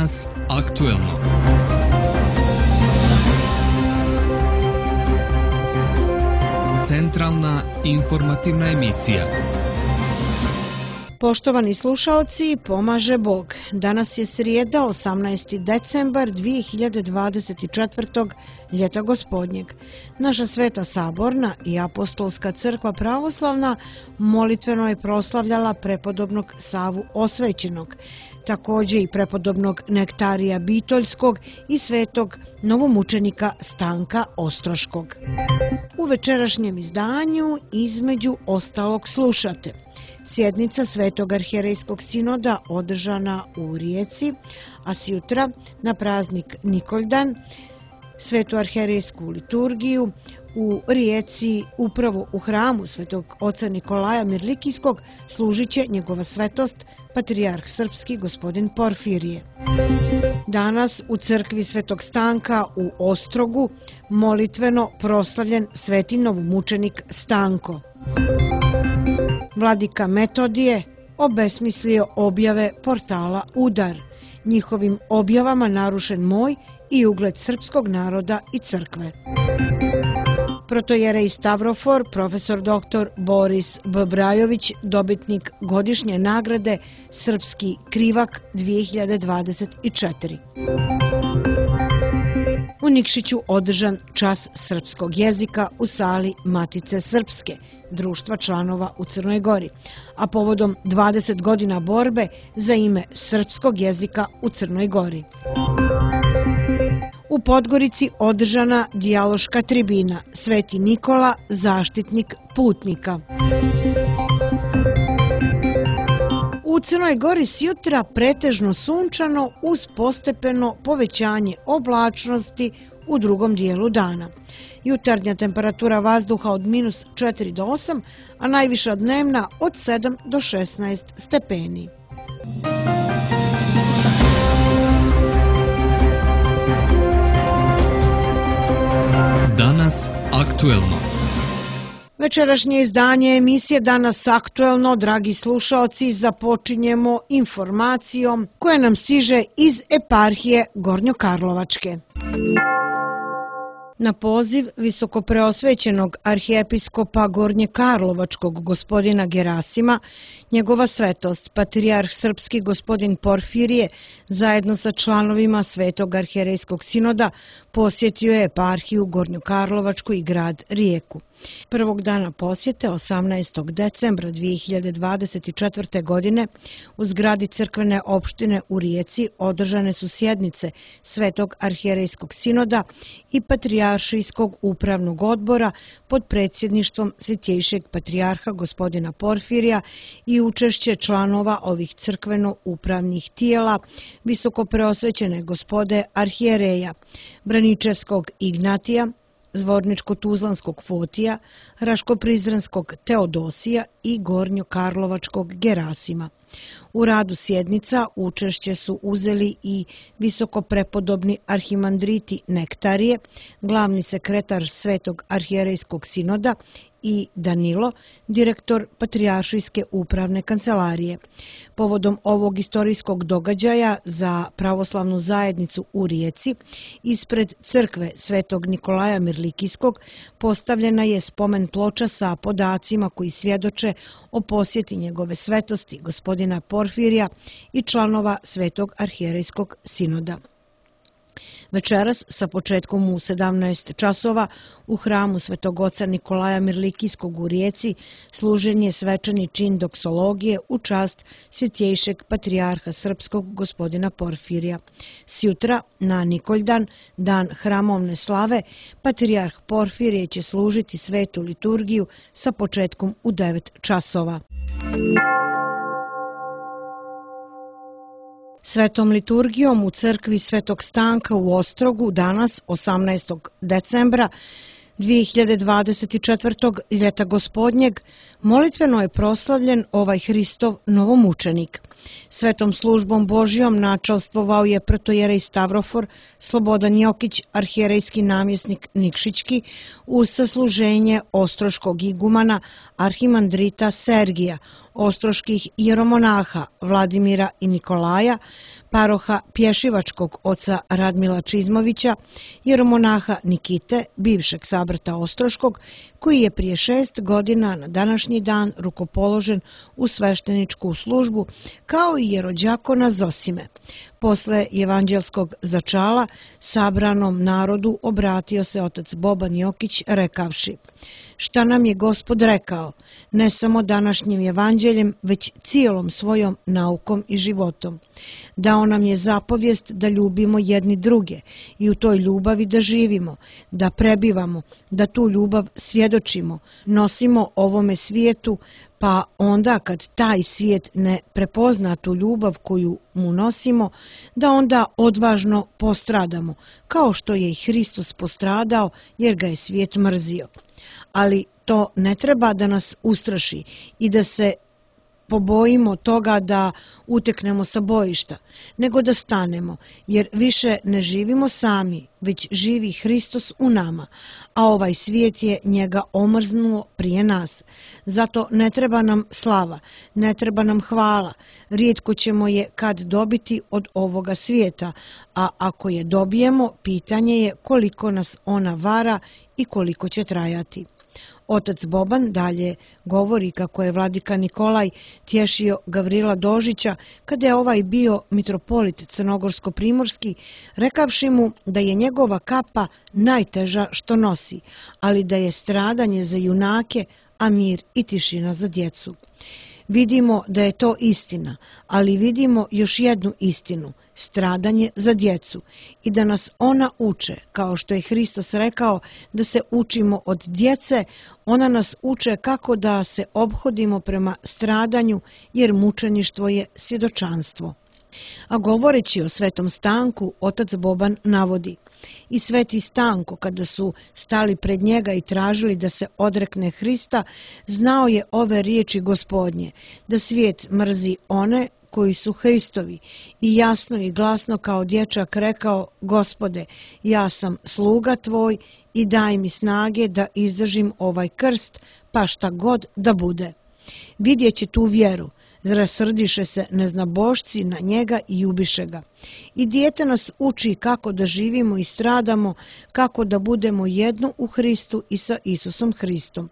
Danas aktuelno. Centralna informativna emisija. Poštovani slušaoci, pomaže Bog. Danas je srijeda, 18. decembar 2024. ljeta gospodnjeg. Naša Sveta Saborna i Apostolska crkva pravoslavna molitveno je proslavljala prepodobnog Savu Osvećenog, također i prepodobnog Nektarija Bitoljskog i svetog novomučenika Stanka Ostroškog. U večerašnjem izdanju između ostalog slušate sjednica Svetog arhijerejskog sinoda održana u Rijeci, a sjutra na praznik Nikoljdan Svetu arhijerejsku liturgiju u Rijeci, upravo u hramu Svetog oca Nikolaja Mirlikijskog, služit će njegova svetost patrijarh srpski gospodin Porfirije. Danas u crkvi Svetog Stanka u Ostrogu molitveno proslavljen sveti novomučenik Stanko. Vladika Metodije obesmislio objave portala Udar. Njihovim objavama narušen moj i ugled srpskog naroda i crkve. Protojerej Stavrofor, profesor dr. Boris B. Brajović, dobitnik godišnje nagrade Srpski krivak 2024. U Nikšiću održan čas srpskog jezika u sali Matice Srpske, društva članova u Crnoj Gori, a povodom 20 godina borbe za ime srpskog jezika u Crnoj Gori. U Podgorici održana dijaloška tribina Sveti Nikola, zaštitnik putnika. U Crnoj Gori sjutra pretežno sunčano uz postepeno povećanje oblačnosti u drugom dijelu dana. Jutarnja temperatura vazduha od -4 do 8, a najviša dnevna od 7 do 16 stepeni. Danas aktuelno. Večerašnje izdanje emisije Danas aktuelno, dragi slušaoci, započinjemo informacijom koja nam stiže iz eparhije Gornjokarlovačke. Na poziv visokopreosvećenog arhijepiskopa Gornjekarlovačkog gospodina Gerasima, njegova svetost, patrijarh srpski gospodin Porfirije, zajedno sa članovima Svetog arhijerejskog sinoda, posjetio je eparhiju Gornjokarlovačku i grad Rijeku. Prvog dana posjete, 18. decembra 2024. godine, u zgradi crkvene opštine u Rijeci održane su sjednice Svetog arhijerejskog sinoda i patrijaršijskog upravnog odbora pod predsjedništvom svjetjejšeg patrijarha gospodina Porfirija i učešće članova ovih crkveno-upravnih tijela, visokopreosvećene gospode arhijereja, Braničevskog Ignatija, Zvorničko-Tuzlanskog Fotija, Raško-Prizrenskog Teodosija i Gornjokarlovačkog Gerasima. U radu sjednica učešće su uzeli i visokoprepodobni arhimandriti Nektarije, glavni sekretar Svetog arhijerejskog sinoda i Danilo, direktor Patrijaršijske upravne kancelarije. Povodom ovog istorijskog događaja za pravoslavnu zajednicu u Rijeci, ispred crkve Svetog Nikolaja Mirlikijskog postavljena je spomen ploča sa podacima koji svjedoče o posjeti njegove svetosti gospodina Porfirija i članova Svetog arhijerejskog sinoda. Večeras sa početkom u 17 časova u hramu Svetog oca Nikolaja Mirlikijskog u Rijeci služen je svečani čin doksologije u čast svjetjejšeg patrijarha srpskog gospodina Porfirija. Sjutra na Nikoljdan, dan hramovne slave, patrijarh Porfirije će služiti svetu liturgiju sa početkom u 9 časova. Svetom liturgijom u crkvi Svetog Stanka u Ostrogu danas, 18. decembra 2024. ljeta gospodnjeg, Molitveno je proslavljen ovaj Hristov novomučenik. Svetom službom Božjom načalstvovao je protojerej Stavrofor, Slobodan Jokić, arhijerejski namjesnik Nikšićki, uz sasluženje ostroškog igumana arhimandrita Sergija, ostroških jeromonaha Vladimira i Nikolaja, paroha Pješivačkog oca Radmila Čizmovića, jeromonaha Nikite, bivšeg sabrata Ostroškog, koji je prije 6 godina na današnji dan rukopoložen u svešteničku službu, kao i jerođakona Zosime. Posle evanđelskog začala sabranom narodu obratio se otac Boban Jokić rekavši: šta nam je Gospod rekao, ne samo današnjim evanđeljem, već cijelom svojom naukom i životom. Dao nam je zapovijest da ljubimo jedni druge i u toj ljubavi da živimo, da prebivamo, da tu ljubav svjedočimo, nosimo ovome svijetu, pa onda kad taj svijet ne prepozna tu ljubav koju mu nosimo, da onda odvažno postradamo, kao što je i Hristos postradao jer ga je svijet mrzio. Ali to ne treba da nas ustraši i da se pobojimo toga da uteknemo sa bojišta, nego da stanemo, jer više ne živimo sami, već živi Hristos u nama, a ovaj svijet je njega omrznuo prije nas. Zato ne treba nam slava, ne treba nam hvala, rijetko ćemo je kad dobiti od ovoga svijeta, a ako je dobijemo, pitanje je koliko nas ona vara i koliko će trajati. Otac Boban dalje govori kako je vladika Nikolaj tješio Gavrila Dožića kada je ovaj bio mitropolit crnogorsko-primorski, rekavši mu da je njegova kapa najteža što nosi, ali da je stradanje za junake, a mir i tišina za djecu. Vidimo da je to istina, ali vidimo još jednu istinu, stradanje za djecu, i da nas ona uče, kao što je Hristos rekao da se učimo od djece, ona nas uče kako da se ophodimo prema stradanju, jer mučeništvo je svjedočanstvo. A govoreći o svetom Stanku, otac Boban navodi: i sveti Stanko, kada su stali pred njega i tražili da se odrekne Hrista, znao je ove riječi Gospodnje, da svijet mrzi one koji su Hristovi, i jasno i glasno kao dječak rekao: Gospode, ja sam sluga tvoj i daj mi snage da izdržim ovaj krst, pa šta god da bude. Vidjeći tu vjeru, rasrdiše se neznabošci na njega i ubiše ga. I dijete nas uči kako da živimo i stradamo, kako da budemo jedno u Hristu i sa Isusom Hristom.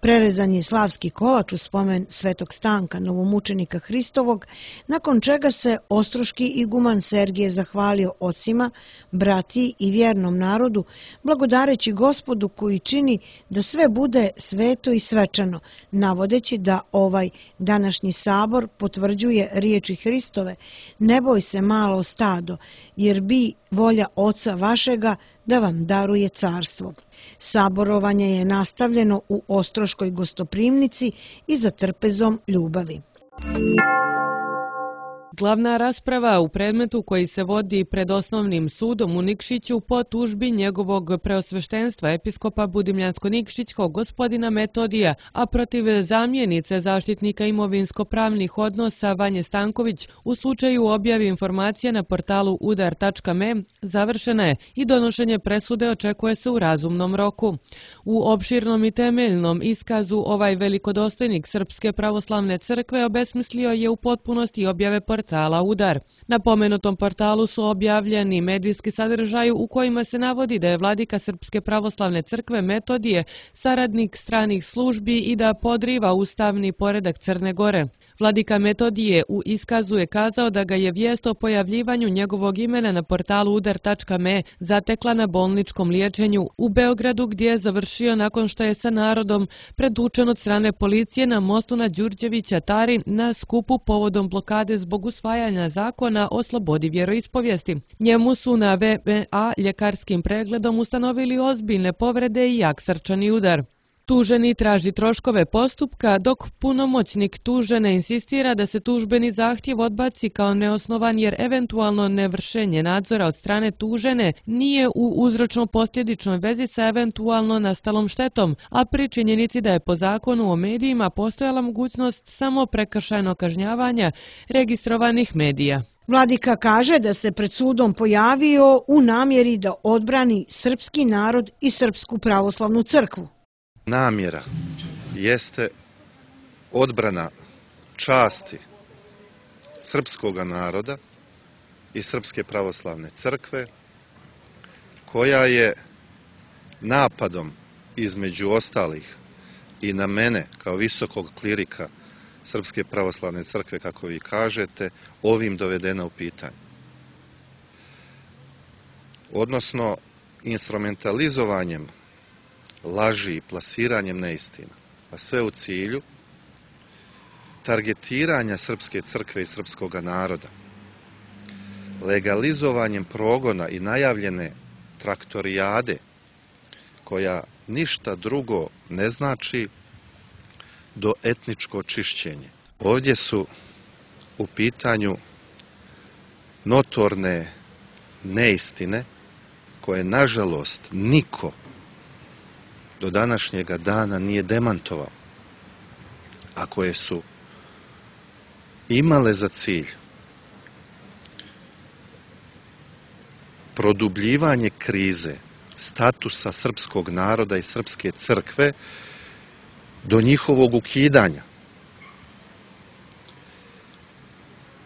Prerezan je slavski kolač u spomen svetog Stanka, novomučenika Hristovog, nakon čega se ostroški iguman Sergije zahvalio ocima, bratiji i vjernom narodu, blagodareći Gospodu koji čini da sve bude sveto i svečano, navodeći da ovaj današnji sabor potvrđuje riječi Hristove: ne boj se malo stado, jer bi volja Oca vašega da vam daruje carstvo. Saborovanje je nastavljeno u Ostroškoj gostoprimnici i za trpezom ljubavi. Glavna rasprava u predmetu koji se vodi pred osnovnim sudom u Nikšiću po tužbi njegovog preosveštenstva episkopa Budimljansko-Nikšićkog gospodina Metodija, a protiv zamjenice zaštitnika imovinsko-pravnih odnosa Vanje Stanković u slučaju objave informacija na portalu udar.me završena je i donošenje presude očekuje se u razumnom roku. U opširnom i temeljnom iskazu ovaj velikodostojnik Srpske pravoslavne crkve obesmislio je u potpunosti objave portala Udar. Na pomenutom portalu su objavljeni medijski sadržaj u kojima se navodi da je vladika Srpske pravoslavne crkve Metodije saradnik stranih službi i da podriva ustavni poredak Crne Gore. Vladika Metodije u iskazu je kazao da ga je vijest o pojavljivanju njegovog imena na portalu udar.me zatekla na bolničkom liječenju u Beogradu, gdje je završio nakon što je sa narodom pretučen od strane policije na mostu na Đurđevića Tari na skupu povodom blokade zbog usvajanja zakona o slobodi vjeroispovijesti. Njemu su na VMA ljekarskim pregledom ustanovili ozbiljne povrede i jak srčani udar. Tuženi traži troškove postupka, dok punomoćnik tužene insistira da se tužbeni zahtjev odbaci kao neosnovan jer eventualno nevršenje nadzora od strane tužene nije u uzročno-posljedičnoj vezi sa eventualno nastalom štetom, a pri činjenici da je po zakonu o medijima postojala mogućnost samo prekršajnog kažnjavanja registrovanih medija. Vladika kaže da se pred sudom pojavio u namjeri da odbrani srpski narod i Srpsku pravoslavnu crkvu. Namjera jeste odbrana časti srpskog naroda i Srpske pravoslavne crkve, koja je napadom između ostalih i na mene kao visokog klirika Srpske pravoslavne crkve, kako vi kažete, ovim dovedena u pitanje. Odnosno, instrumentalizovanjem laži i plasiranjem neistina, a sve u cilju targetiranja Srpske crkve i srpskog naroda, legalizovanjem progona i najavljene traktorijade, koja ništa drugo ne znači do etničko čišćenje. Ovdje su u pitanju notorne neistine koje, nažalost, niko do današnjega dana nije demantovao, a koje su imale za cilj produbljivanje krize statusa srpskog naroda i Srpske crkve do njihovog ukidanja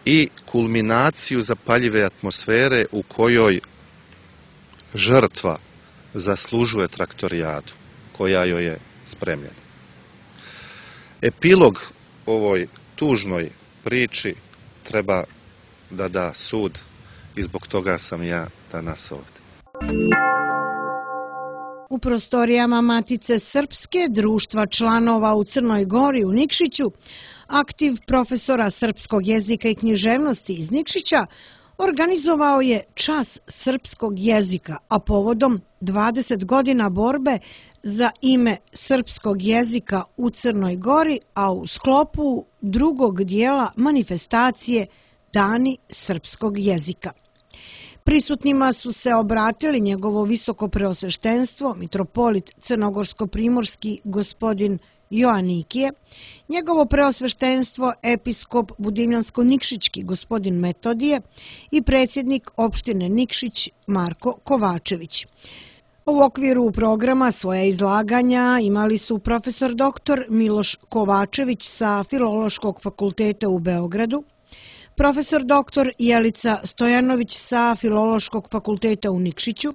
i kulminaciju zapaljive atmosfere u kojoj žrtva zaslužuje traktorijadu koja joj je spremljena. Epilog ovoj tužnoj priči treba da da sud i zbog toga sam ja danas ovdje. U prostorijama Matice Srpske, društva članova u Crnoj Gori u Nikšiću, aktiv profesora srpskog jezika i književnosti iz Nikšića organizovao je čas srpskog jezika, a povodom 20 godina borbe za ime srpskog jezika u Crnoj Gori, a u sklopu drugog dijela manifestacije Dani srpskog jezika. Prisutnima su se obratili njegovo visoko preosveštenstvo, mitropolit crnogorsko-primorski gospodin Joanikije, njegovo preosveštenstvo episkop budimljansko-nikšićki gospodin Metodije i predsjednik opštine Nikšić Marko Kovačević. U okviru programa svoja izlaganja imali su profesor dr. Miloš Kovačević sa Filološkog fakulteta u Beogradu, profesor dr. Jelica Stojanović sa Filološkog fakulteta u Nikšiću,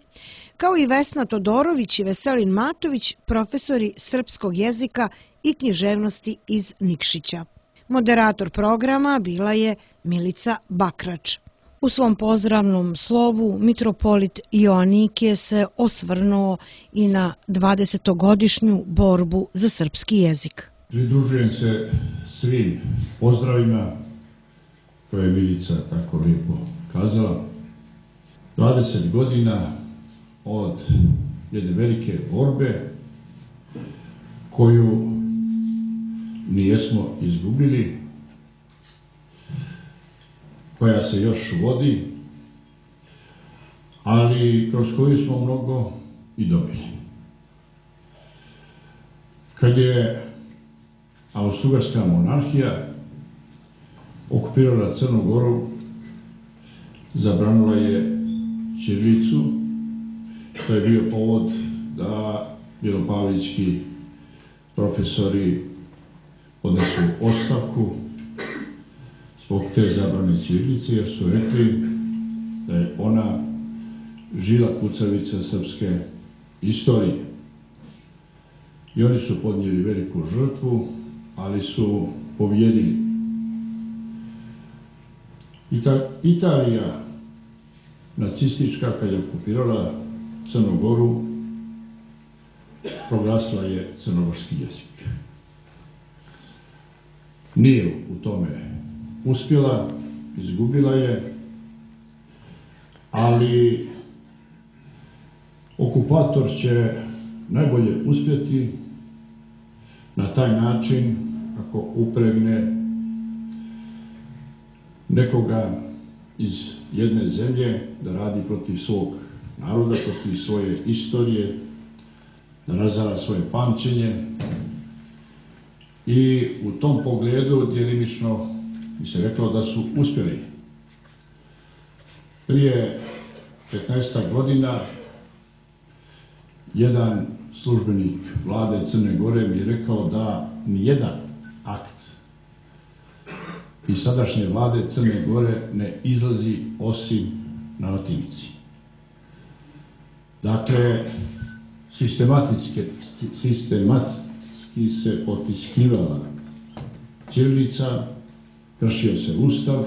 kao i Vesna Todorović i Veselin Matović, profesori srpskog jezika i književnosti iz Nikšića. Moderator programa bila je Milica Bakrač. U svom pozdravnom slovu mitropolit Joanikije se osvrnuo i na 20-godišnju borbu za srpski jezik. Pridružujem se svim pozdravima koje je Milica tako lijepo kazala. 20 godina od jedne velike borbe koju nijesmo izgubili, koja se još vodi, ali kroz koju smo mnogo i dobili. Kad je Austro-Ugarska monarhija okupirala Crnu Goru, zabranila je ćirilicu. To je bio povod da Belopavlički profesori podnesu ostavku zbog te zabrane ćirilice, jer su rekli da je ona žila kucavica srpske istorije. I oni su podnijeli veliku žrtvu, ali su pobjedili. Italija nacistička, kad je okupirala Crnu Goru, proglasila je crnogorski jezik. Nije u tome uspjela, izgubila je, ali okupator će najbolje uspjeti na taj način ako upregne nekoga iz jedne zemlje da radi protiv svog naroda, protiv svoje istorije, da razara svoje pamćenje. I u tom pogledu djelimično bi se reklo da su uspjeli. Prije 15 godina jedan službenik vlade Crne Gore mi je rekao da nijedan akt iz sadašnje vlade Crne Gore ne izlazi osim na latinici. Dakle, sistematski se potiskivala ćirilica, kršio se Ustav,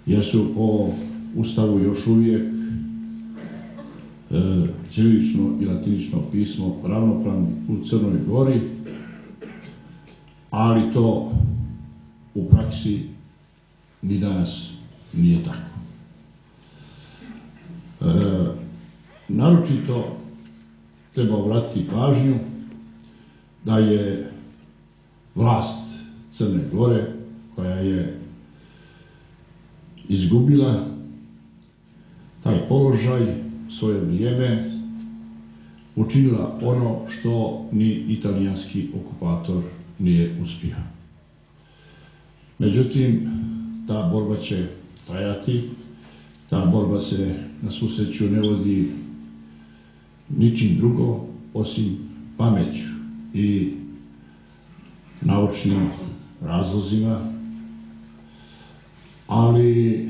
jer su po Ustavu još uvijek ćirilično i latinično pismo ravnopravni u Crnoj Gori, ali to u praksi ni danas nije tako. Naročito treba obratiti pažnju da je vlast Crne Gore, koja je izgubila taj položaj, svoje vrijeme, učinila ono što ni italijanski okupator nije uspio. Međutim, ta borba će trajati, ta borba se na svu sreću ne vodi ničim drugo osim pameću i naučnim razlozima, ali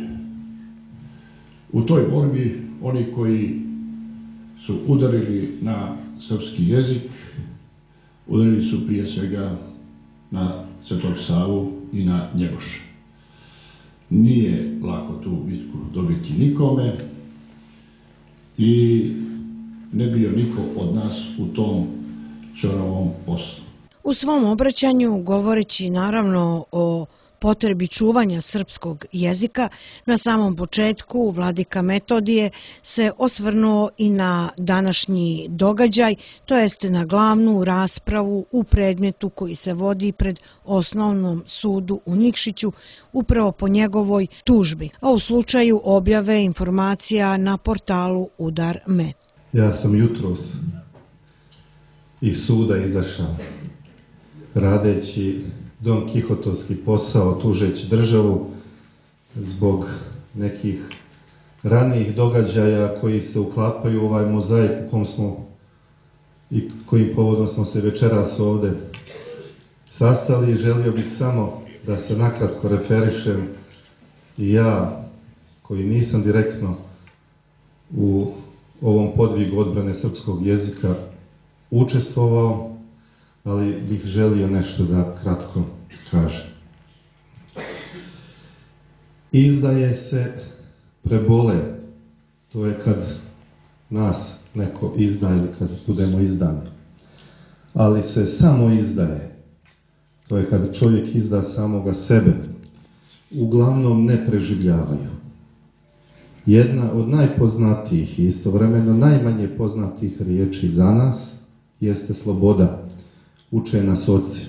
u toj borbi oni koji su udarili na srpski jezik, udarili su prije svega na Svetog Savu i na Njegoša. Nije lako tu bitku dobiti nikome i ne bio niko od nas u tom ćoravom poslu. U svom obraćanju, govoreći naravno o potrebi čuvanja srpskog jezika, na samom početku vladika Metodije se osvrnuo i na današnji događaj, to jest na glavnu raspravu u predmetu koji se vodi pred Osnovnom sudu u Nikšiću upravo po njegovoj tužbi, a u slučaju objave informacija na portalu Udar.me. Ja sam jutros iz suda izašao radeći Don Kihotovski posao, tužeći državu zbog nekih ranijih događaja koji se uklapaju u ovaj mozaik u kom smo i kojim povodom smo se večeras ovde sastali. Želio bih samo da se nakratko referišem i ja, koji nisam direktno u ovom podvigu odbrane srpskog jezika učestvovao, ali bih želio nešto da kratko kažem. Izdaje se prebole, to je kad nas neko izda ili kad budemo izdani. Ali se samo izdaje, to je kad čovjek izda samoga sebe, uglavnom ne preživljavaju. Jedna od najpoznatijih i istovremeno najmanje poznatih riječi za nas jeste sloboda, uče nas oci.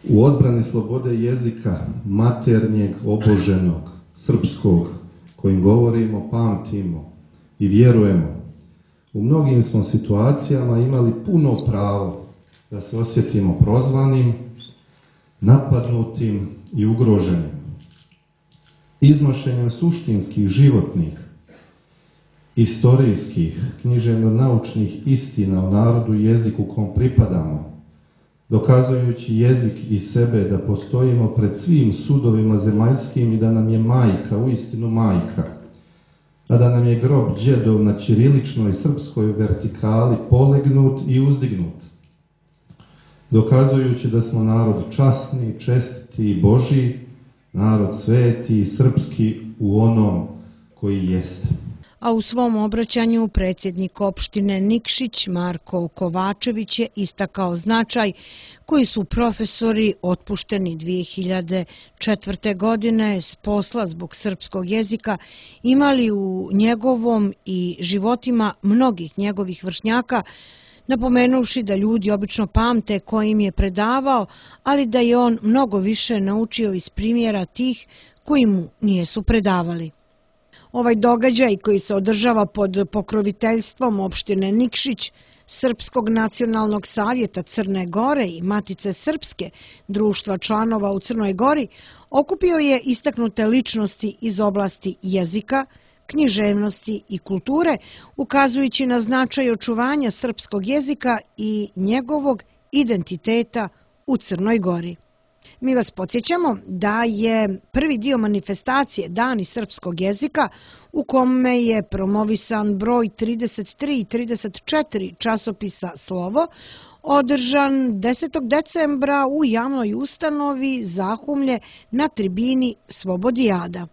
U odbrani slobode jezika, maternjeg, oboženog, srpskog, kojim govorimo, pamtimo i vjerujemo, u mnogim smo situacijama imali puno pravo da se osjetimo prozvanim, napadnutim i ugroženim. Iznošenjem suštinskih, životnih, istorijskih, književno-naučnih istina o narodu i jeziku kom pripadamo, dokazujući jezik i sebe da postojimo pred svim sudovima zemaljskim i da nam je majka, uistinu majka, a da nam je grob đedov na ćiriličnoj srpskoj vertikali polegnut i uzdignut, dokazujući da smo narod časni, čestiti i Božji, narod sveti i srpski u onom koji jeste. A u svom obraćanju predsjednik opštine Nikšić Marko Kovačević je istakao značaj koji su profesori otpušteni 2004. godine s posla zbog srpskog jezika imali u njegovom i životima mnogih njegovih vršnjaka, napomenuvši da ljudi obično pamte ko im je predavao, ali da je on mnogo više naučio iz primjera tih koji mu nijesu predavali. Ovaj događaj koji se održava pod pokroviteljstvom opštine Nikšić, Srpskog nacionalnog savjeta Crne Gore i Matice Srpske, društva članova u Crnoj Gori, okupio je istaknute ličnosti iz oblasti jezika, književnosti i kulture, ukazujući na značaj očuvanja srpskog jezika i njegovog identiteta u Crnoj Gori. Mi vas podsjećamo da je prvi dio manifestacije Dani srpskog jezika, u kome je promovisan broj 33 i 34 časopisa Slovo, održan 10. decembra u javnoj ustanovi Zahumlje na tribini Svobodijada.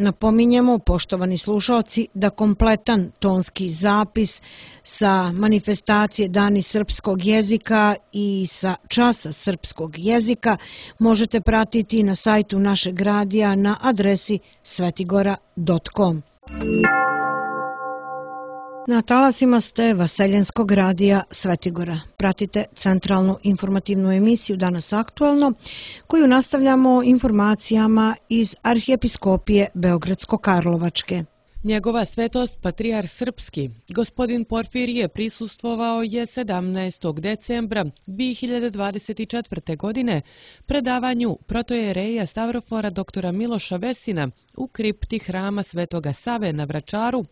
Napominjemo, poštovani slušalci, da kompletan tonski zapis sa manifestacije Dani srpskog jezika i sa časa srpskog jezika možete pratiti na sajtu našeg radija na adresi svetigora.com. Na talasima ste Vaseljenskog radija Svetigora. Pratite centralnu informativnu emisiju Danas aktuelno, koju nastavljamo informacijama iz Arhijepiskopije Beogradsko-Karlovačke. Njegova svetost Patrijarh Srpski, gospodin Porfirije, prisustvovao je 17. decembra 2024. godine predavanju protojereja Stavrofora doktora Miloša Vesina u kripti hrama Svetoga Save na Vračaru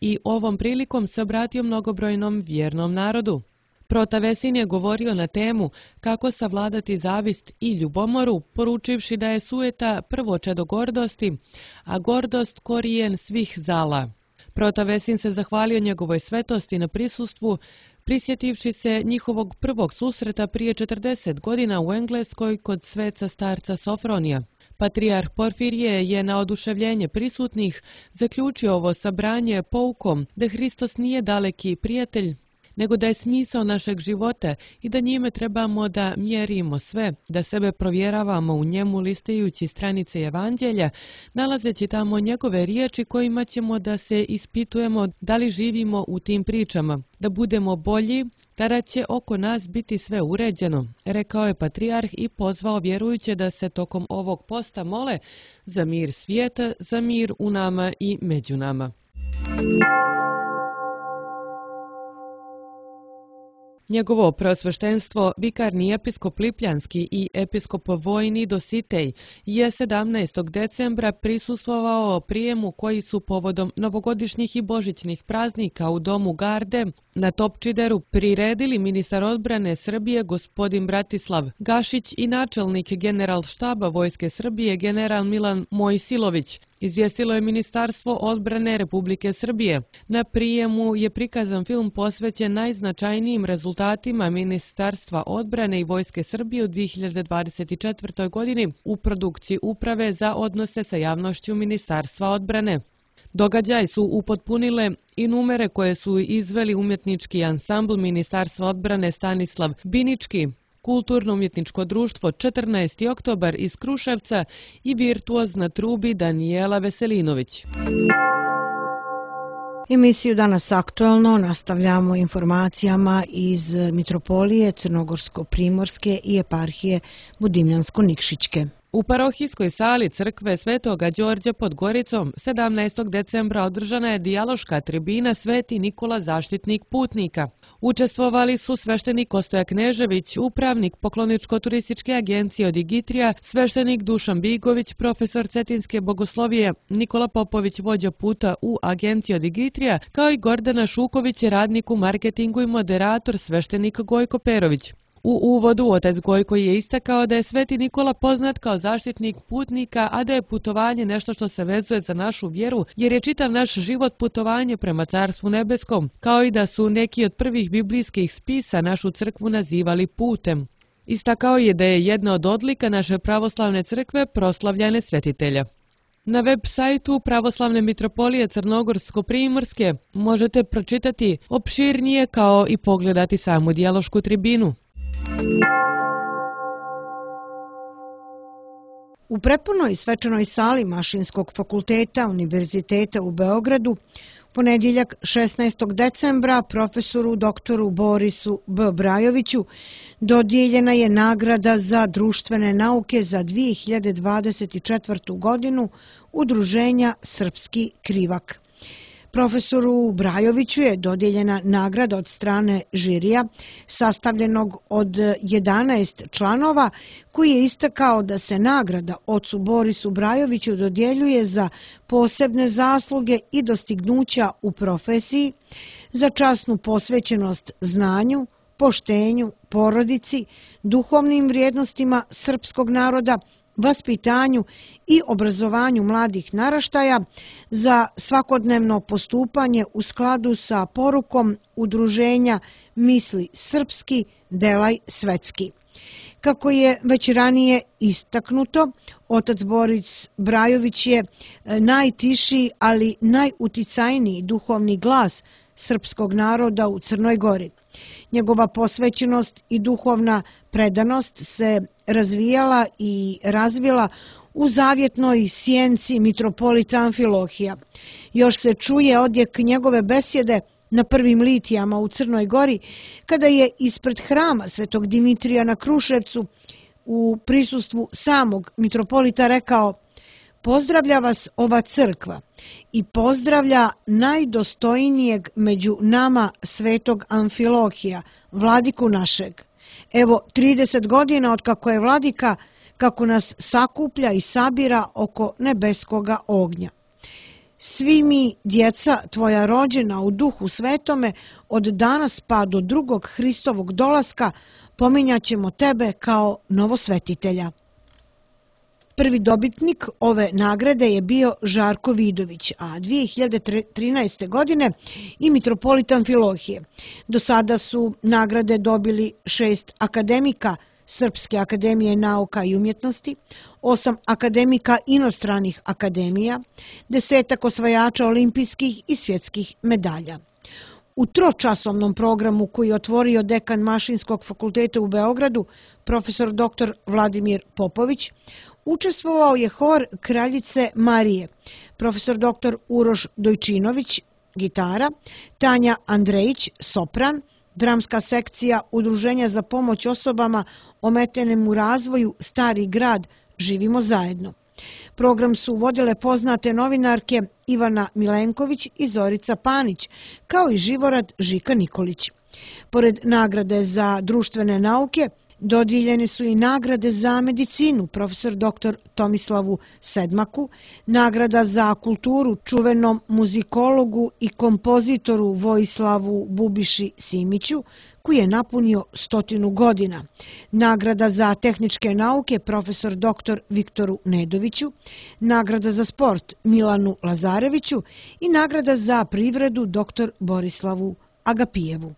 i ovom prilikom se obratio mnogobrojnom vjernom narodu. Prota Vesin je govorio na temu kako savladati zavist i ljubomoru, poručivši da je sujeta prvo čedo gordosti, a gordost korijen svih zala. Prota Vesin se zahvalio njegovoj svetosti na prisustvu, prisjetivši se njihovog prvog susreta prije 40 godina u Engleskoj kod sveca starca Sofronija. Patrijarh Porfirije je na oduševljenje prisutnih zaključio ovo sabranje poukom da Hristos nije daleki prijatelj, nego da je smisao našeg života i da njime trebamo da mjerimo sve, da sebe provjeravamo u njemu listajući stranice Evanđelja, nalazeći tamo njegove riječi kojima ćemo da se ispitujemo da li živimo u tim pričama, da budemo bolji, tada će oko nas biti sve uređeno, rekao je patrijarh i pozvao vjerujuće da se tokom ovog posta mole za mir svijeta, za mir u nama i među nama. Njegovo preosveštenstvo, vikarni episkop Lipljanski i episkop Vojni Dositej je 17. decembra prisustvovao prijemu koji su povodom novogodišnjih i božićnih praznika u domu Garde na Topčideru priredili ministar odbrane Srbije gospodin Bratislav Gašić i načelnik generalštaba Vojske Srbije general Milan Mojsilović. Izvijestilo je Ministarstvo odbrane Republike Srbije. Na prijemu je prikazan film posvećen najznačajnijim rezultatima Ministarstva odbrane i Vojske Srbije u 2024. godini u produkciji Uprave za odnose sa javnošću Ministarstva odbrane. Događaj su upotpunile i numere koje su izveli umjetnički ansambl Ministarstva odbrane Stanislav Binički, Kulturno-umjetničko društvo 14. oktobar iz Kruševca i virtuoz na trubi Danijela Veselinović. Emisiju Danas aktuelno nastavljamo informacijama iz Mitropolije Crnogorsko-Primorske i eparhije Budimljansko-Nikšićke. U parohijskoj sali crkve Svetoga Đorđa pod Goricom 17. decembra održana je dijaloška tribina Sveti Nikola zaštitnik putnika. Učestvovali su sveštenik Ostoja Knežević, upravnik Pokloničko-turističke agencije od Igitrija, sveštenik Dušan Bigović, profesor Cetinske bogoslovije, Nikola Popović, vođa puta u agenciji od Igitrija, kao i Gordana Šuković, radnik u marketingu i moderator sveštenik Gojko Perović. U uvodu otac Gojko je istakao da je Sveti Nikola poznat kao zaštitnik putnika, a da je putovanje nešto što se vezuje za našu vjeru, jer je čitav naš život putovanje prema Carstvu nebeskom, kao i da su neki od prvih biblijskih spisa našu crkvu nazivali putem. Istakao je da je jedna od odlika naše pravoslavne crkve proslavljanje svetitelja. Na web sajtu Pravoslavne mitropolije Crnogorsko-Primorske možete pročitati opširnije kao i pogledati samu dijalošku tribinu. U prepunoj svečanoj sali Mašinskog fakulteta Univerziteta u Beogradu Ponedjeljak 16. decembra profesoru doktoru Borisu B. Brajoviću dodijeljena je nagrada za društvene nauke za 2024. godinu Udruženja Srpski Krivak. Profesoru Brajoviću je dodijeljena nagrada od strane žirija sastavljenog od 11 članova koji je istakao da se nagrada ocu Borisu Brajoviću dodjeljuje za posebne zasluge i dostignuća u profesiji, za časnu posvećenost znanju, poštenju, porodici, duhovnim vrijednostima srpskog naroda, vaspitanju i obrazovanju mladih naraštaja, za svakodnevno postupanje u skladu sa porukom udruženja Misli srpski, delaj svetski. Kako je već ranije istaknuto, otac Boris Brajović je najtiši, ali najuticajniji duhovni glas srpskog naroda u Crnoj Gori. Njegova posvećenost i duhovna predanost se razvijala i razvila u zavjetnoj sjenci mitropolita Amfilohija. Još se čuje odjek njegove besjede na prvim litijama u Crnoj Gori, kada je ispred hrama Svetog Dimitrija na Kruševcu u prisustvu samog mitropolita rekao: "Pozdravlja vas ova crkva i pozdravlja najdostojnijeg među nama Svetog Amfilohija, vladiku našeg. Evo 30 godina od kako je vladika, kako nas sakuplja i sabira oko nebeskoga ognja. Svi mi, djeca tvoja rođena u duhu svetome, od danas pa do drugog Hristovog dolaska, pominjat ćemo tebe kao novosvetitelja." Prvi dobitnik ove nagrade je bio Žarko Vidović, a 2013. godine i mitropolit Amfilohije. Do sada su nagrade dobili 6 akademika Srpske akademije nauka i umjetnosti, 8 akademika inostranih akademija, 10 osvajača olimpijskih i svjetskih medalja. U tročasovnom programu koji je otvorio dekan Mašinskog fakulteta u Beogradu, profesor dr. Vladimir Popović, učestvovao je hor Kraljice Marije, profesor dr. Uroš Dojčinović, gitara, Tanja Andrejić, sopran, dramska sekcija Udruženja za pomoć osobama ometenim u razvoju Stari grad Živimo zajedno. Program su vodile poznate novinarke Ivana Milenković i Zorica Panić, kao i Živorad Žika Nikolić. Pored nagrade za društvene nauke, dodijeljene su i nagrade za medicinu profesor dr. Tomislavu Sedmaku, nagrada za kulturu čuvenom muzikologu i kompozitoru Vojislavu Bubiši Simiću, koji je napunio 100 godina, nagrada za tehničke nauke profesor dr. Viktoru Nedoviću, nagrada za sport Milanu Lazareviću i nagrada za privredu dr. Borislavu Agapijevu.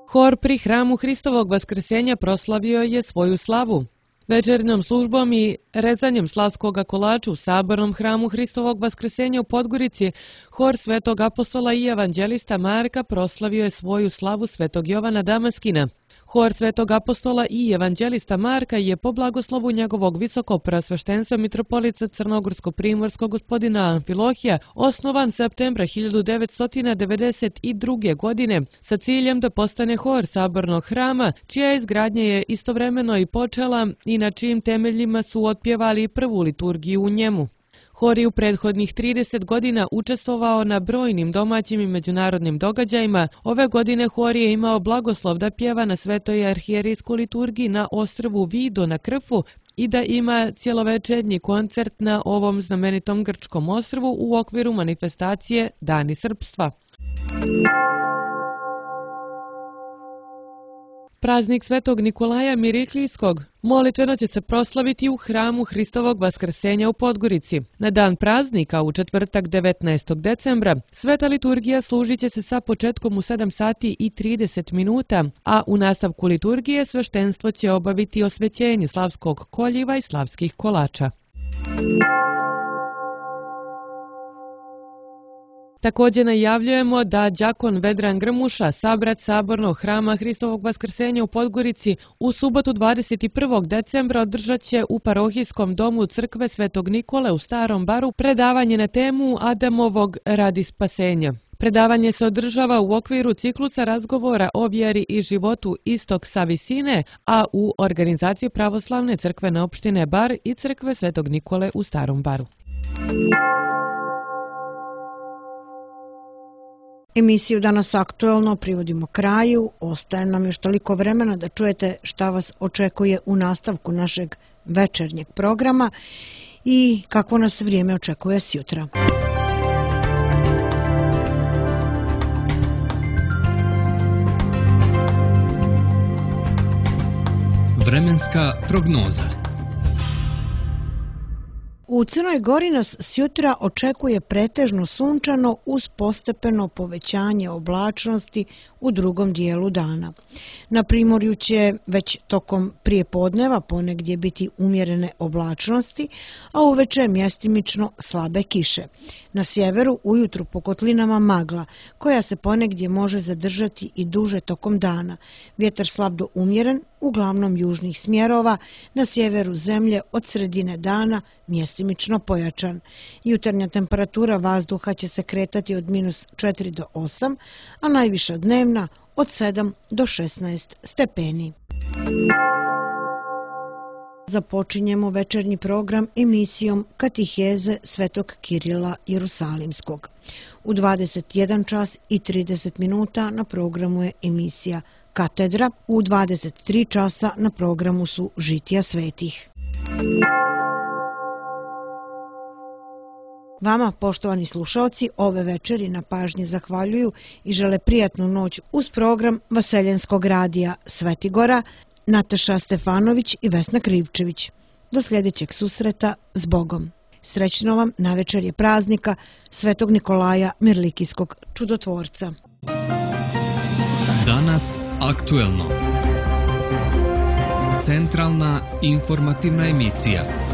Hor pri hramu Hristovog Vaskrsenja proslavio je svoju slavu. Večernjom službom i rezanjem slavskoga kolača u sabornom hramu Hristovog Vaskrsenja u Podgorici, hor Svetog apostola i evanđelista Marka proslavio je svoju slavu Svetog Jovana Damaskina. Hor Svetog apostola i evanđelista Marka je po blagoslovu njegovog visokopreosveštenstva mitropolita Crnogorsko-primorskog gospodina Amfilohija osnovan septembra 1992. godine sa ciljem da postane hor sabornog hrama, čija izgradnja je istovremeno i počela i na čijim temeljima su otpjevali prvu liturgiju u njemu. Hor je u prethodnih 30 godina učestvovao na brojnim domaćim i međunarodnim događajima. Ove godine hor je imao blagoslov da pjeva na Svetoj arhijerijskoj liturgiji na ostrvu Vido na Krfu i da ima cjelovečernji koncert na ovom znamenitom grčkom ostrvu u okviru manifestacije Dani srpstva. Praznik Svetog Nikolaja Miriklijskog molitveno će se proslaviti u hramu Hristovog Vaskrsenja u Podgorici. Na dan praznika, u četvrtak 19. decembra, sveta liturgija služit će se sa početkom u 7 sati i 30 minuta, a u nastavku liturgije sveštenstvo će obaviti osvećenje slavskog koljiva i slavskih kolača. Također najavljujemo da đakon Vedran Grmuša, sabrat Sabornog hrama Hristovog vaskrsenja u Podgorici, u subotu 21. decembra održat će u parohijskom domu crkve Svetog Nikole u Starom Baru predavanje na temu Adamovog radi spasenja. Predavanje se održava u okviru ciklusa razgovora o vjeri i životu Istok sa visine, a u organizaciji Pravoslavne crkvene opštine Bar i crkve Svetog Nikole u Starom Baru. Emisiju Danas aktuelno privodimo kraju. Ostaje nam još toliko vremena da čujete šta vas očekuje u nastavku našeg večernjeg programa i kako nas vrijeme očekuje sjutra. Vremenska prognoza. U Crnoj Gori nas sjutra očekuje pretežno sunčano uz postepeno povećanje oblačnosti u drugom dijelu dana. Na primorju će već tokom prijepodneva ponegdje biti umjerene oblačnosti, a uveče mjestimično slabe kiše. Na sjeveru ujutru po kotlinama magla, koja se ponegdje može zadržati i duže tokom dana. Vjetar slab do umjeren, uglavnom južnih smjerova, na sjeveru zemlje od sredine dana mjestimično pojačan. Jutarnja temperatura vazduha će se kretati od -4 do 8, a najviša dnevna od 7 do 16 stepeni. Započinjemo večernji program emisijom Katiheze Svetog Kirila Jerusalimskog. U 21 čas i 30 minuta na programu je emisija Katedra, u 23 časa na programu su Žitija svetih. Vama, poštovani slušalci, ove večeri na pažnji zahvaljuju i žele prijatnu noć uz program Vaseljenskog radija Svetigora, Nataša Stefanović i Vesna Krivčević. Do sljedećeg susreta s Bogom. Srećno vam na večerje praznika Svetog Nikolaja Mirlikijskog čudotvorca. Danas aktuelno. Centralna informativna emisija.